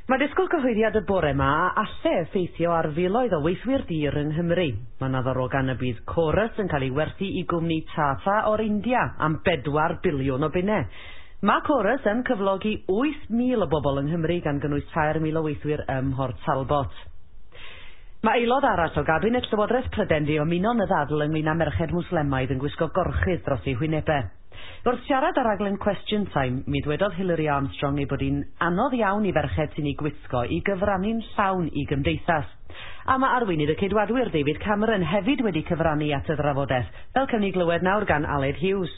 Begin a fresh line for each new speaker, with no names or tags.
Mae disgwyl cyhoeddiad y bore 'ma a alle effeithio ar filoedd o weithwyr dur yng Nghymru. Mae 'na ddarogan y bydd Corus yn cael ei werthu i gwmni Tata o'r India am bedwar biliwn o bunnau. Mae Corus yn cyflogi 8,000 o bobl yng Nghymru gan gynnwys 3,000 o weithwyr ym Mhort Talbot. Mae aelod arall o gabinet Llywodraeth Prydain 'di ymuno yn y ddadl ynglŷn â merched Mwslemaidd yn gwisgo gorchudd dros eu hwynebau. Wrth siarad ar raglen Question Time, mi ddwedodd Hilary Armstrong ei bod hi'n anodd iawn i ferched sy'n ei gwisgo i gyfrannu'n llawn i gymdeithas. A mae arweinydd y Ceidwadwyr David Cameron hefyd wedi cyfrannu at y drafodaeth, fel cawn ni glywed nawr gan Aled Hughes.